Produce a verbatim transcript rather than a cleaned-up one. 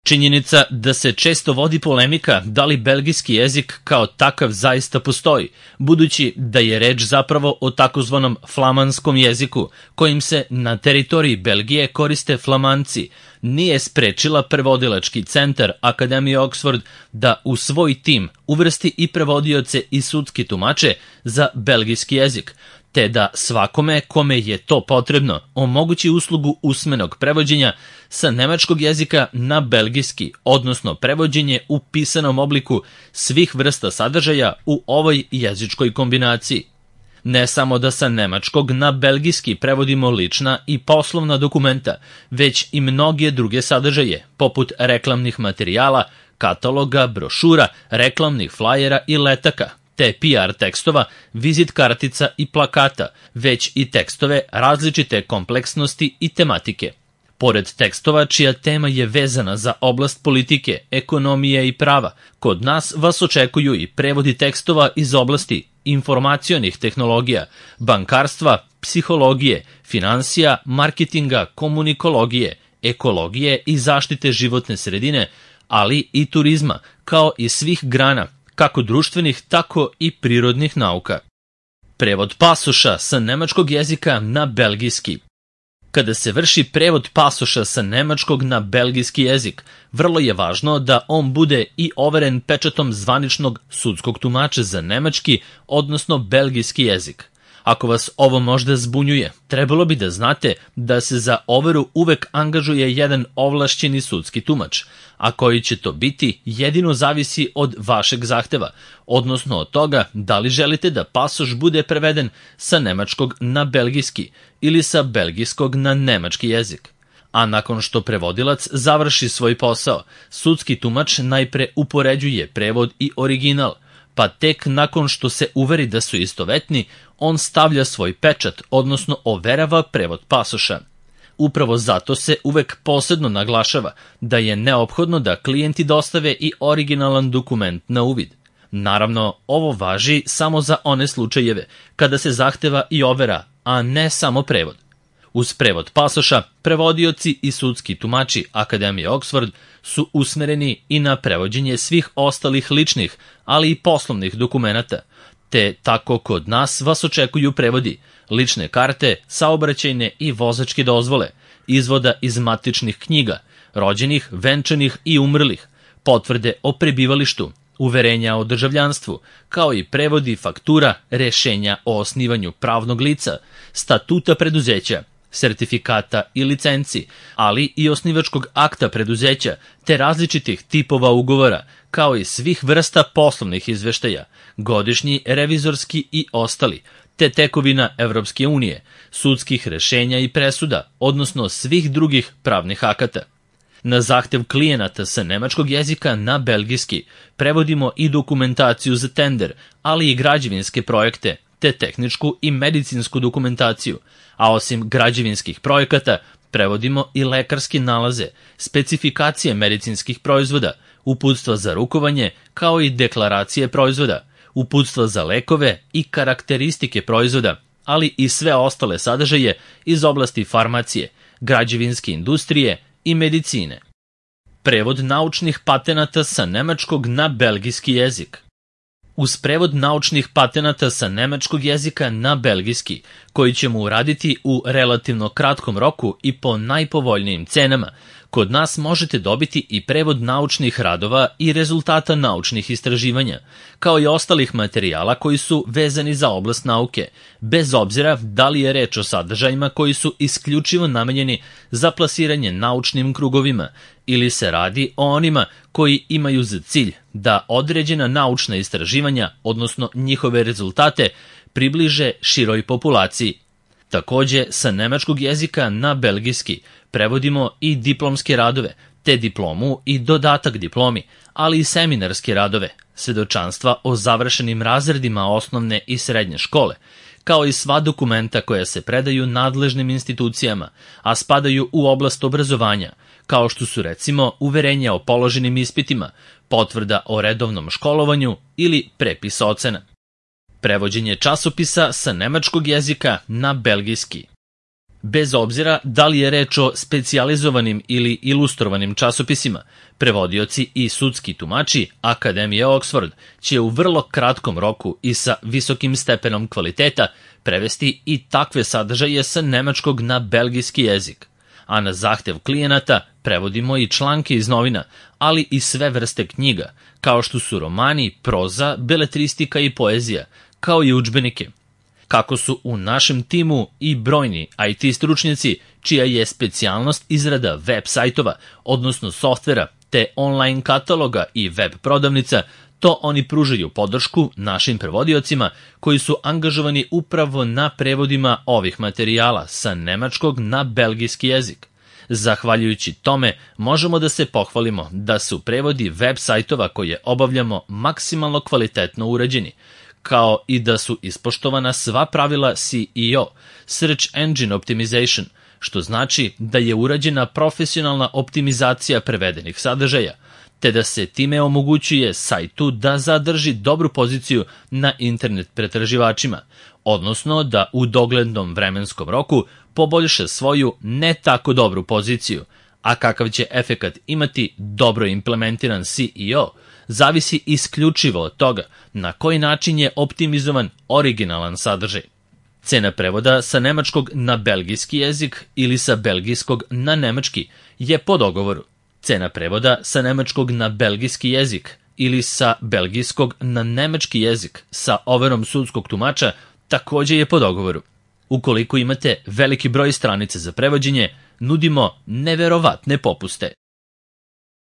Činjenica da se često vodi polemika da li belgijski jezik kao takav zaista postoji, budući da je reč zapravo o takozvanom flamanskom jeziku, kojim se na teritoriji Belgije koriste Flamanci, nije sprečila prevodilački centar Akademije Oxford da u svoj tim uvrsti i prevodioce i sudski tumače za belgijski jezik, te da svakome kome je to potrebno omogući uslugu usmenog prevođenja sa nemačkog jezika na belgijski, odnosno prevođenje u pisanom obliku svih vrsta sadržaja u ovoj jezičkoj kombinaciji. Ne samo da sa nemačkog na belgijski prevodimo lična i poslovna dokumenta, već i mnoge druge sadržaje, poput reklamnih materijala, kataloga, brošura, reklamnih flajera i letaka, te P R tekstova, vizit kartica i plakata, već i tekstove različite kompleksnosti i tematike. Pored tekstova čija tema je vezana za oblast politike, ekonomije i prava, kod nas vas očekuju i prevodi tekstova iz oblasti informacionih tehnologija, bankarstva, psihologije, finansija, marketinga, komunikologije, ekologije i zaštite životne sredine, ali i turizma, kao i svih grana, kako društvenih, tako i prirodnih nauka. Prevod pasoša sa nemačkog jezika na belgijski. Kada se vrši prevod pasoša sa nemačkog na belgijski jezik, vrlo je važno da on bude i overen pečatom zvaničnog sudskog tumača za nemački, odnosno belgijski jezik. Ako vas ovo možda zbunjuje, trebalo bi da znate da se za overu uvek angažuje jedan ovlašćeni sudski tumač, a koji će to biti jedino zavisi od vašeg zahteva, odnosno od toga da li želite da pasoš bude preveden sa nemačkog na belgijski ili sa belgijskog na nemački jezik. A nakon što prevodilac završi svoj posao, sudski tumač najpre upoređuje prevod i original, pa tek nakon što se uveri da su istovetni, on stavlja svoj pečat, odnosno overava prevod pasoša. Upravo zato se uvek posebno naglašava da je neophodno da klijenti dostave i originalan dokument na uvid. Naravno, ovo važi samo za one slučajeve kada se zahteva i overa, a ne samo prevod. Uz prevod pasoša, prevodioci i sudski tumači Akademije Oxford su usmereni i na prevođenje svih ostalih ličnih, ali i poslovnih dokumenata, te tako kod nas vas očekuju prevodi, lične karte, saobraćajne i vozačke dozvole, izvoda iz matičnih knjiga, rođenih, venčanih i umrlih, potvrde o prebivalištu, uverenja o državljanstvu, kao i prevodi faktura, rešenja o osnivanju pravnog lica, statuta preduzeća, sertifikata i licenci, ali i osnivačkog akta preduzeća, te različitih tipova ugovora, kao i svih vrsta poslovnih izveštaja, godišnji, revizorski i ostali, te tekovina Evropske unije, sudskih rešenja i presuda, odnosno svih drugih pravnih akata. Na zahtev klijenata sa nemačkog jezika na belgijski prevodimo i dokumentaciju za tender, ali i građevinske projekte, te tehničku i medicinsku dokumentaciju, a osim građevinskih projekata prevodimo i lekarske nalaze, specifikacije medicinskih proizvoda, uputstva za rukovanje, kao i deklaracije proizvoda, uputstva za lekove i karakteristike proizvoda, ali i sve ostale sadržaje iz oblasti farmacije, građevinske industrije i medicine. Prevod naučnih patenata sa nemačkog na belgijski jezik. Uz prevod naučnih patenata sa nemačkog jezika na belgijski, koji ćemo uraditi u relativno kratkom roku i po najpovoljnijim cenama, kod nas možete dobiti i prevod naučnih radova i rezultata naučnih istraživanja, kao i ostalih materijala koji su vezani za oblast nauke, bez obzira da li je reč o sadržajima koji su isključivo namenjeni za plasiranje naučnim krugovima ili se radi o onima koji imaju za cilj da određena naučna istraživanja, odnosno njihove rezultate, približe široj populaciji. Takođe, sa nemačkog jezika na belgijski prevodimo i diplomske radove, te diplomu i dodatak diplomi, ali i seminarske radove, svedočanstva o završenim razredima osnovne i srednje škole, kao i sva dokumenta koja se predaju nadležnim institucijama, a spadaju u oblast obrazovanja, kao što su recimo uverenja o položenim ispitima, potvrda o redovnom školovanju ili prepis ocena. Prevođenje časopisa sa nemačkog jezika na belgijski. Bez obzira da li je reč o specijalizovanim ili ilustrovanim časopisima, prevodioci i sudski tumači Akademije Oxford će u vrlo kratkom roku i sa visokim stepenom kvaliteta prevesti i takve sadržaje sa nemačkog na belgijski jezik. A na zahtev klijenata prevodimo i članke iz novina, ali i sve vrste knjiga, kao što su romani, proza, beletristika i poezija, kao i udžbenike. Kako su u našem timu i brojni I T stručnjaci, čija je specijalnost izrada web sajtova, odnosno softvera, te online kataloga i web prodavnica, to oni pružaju podršku našim prevodiocima koji su angažovani upravo na prevodima ovih materijala sa nemačkog na belgijski jezik. Zahvaljujući tome, možemo da se pohvalimo da su prevodi web sajtova koje obavljamo maksimalno kvalitetno urađeni, kao i da su ispoštovana sva pravila C E O, Search Engine Optimization, što znači da je urađena profesionalna optimizacija prevedenih sadržaja, te da se time omogućuje sajtu da zadrži dobru poziciju na internet pretraživačima, odnosno da u doglednom vremenskom roku poboljša svoju ne tako dobru poziciju, a kakav će efekat imati dobro implementiran C E O, zavisi isključivo od toga na koji način je optimizovan originalan sadržaj. Cena prevoda sa nemačkog na belgijski jezik ili sa belgijskog na nemački je po dogovoru. Cena prevoda sa nemačkog na belgijski jezik ili sa belgijskog na nemački jezik sa overom sudskog tumača takođe je po dogovoru. Ukoliko imate veliki broj stranica za prevođenje, nudimo neverovatne popuste.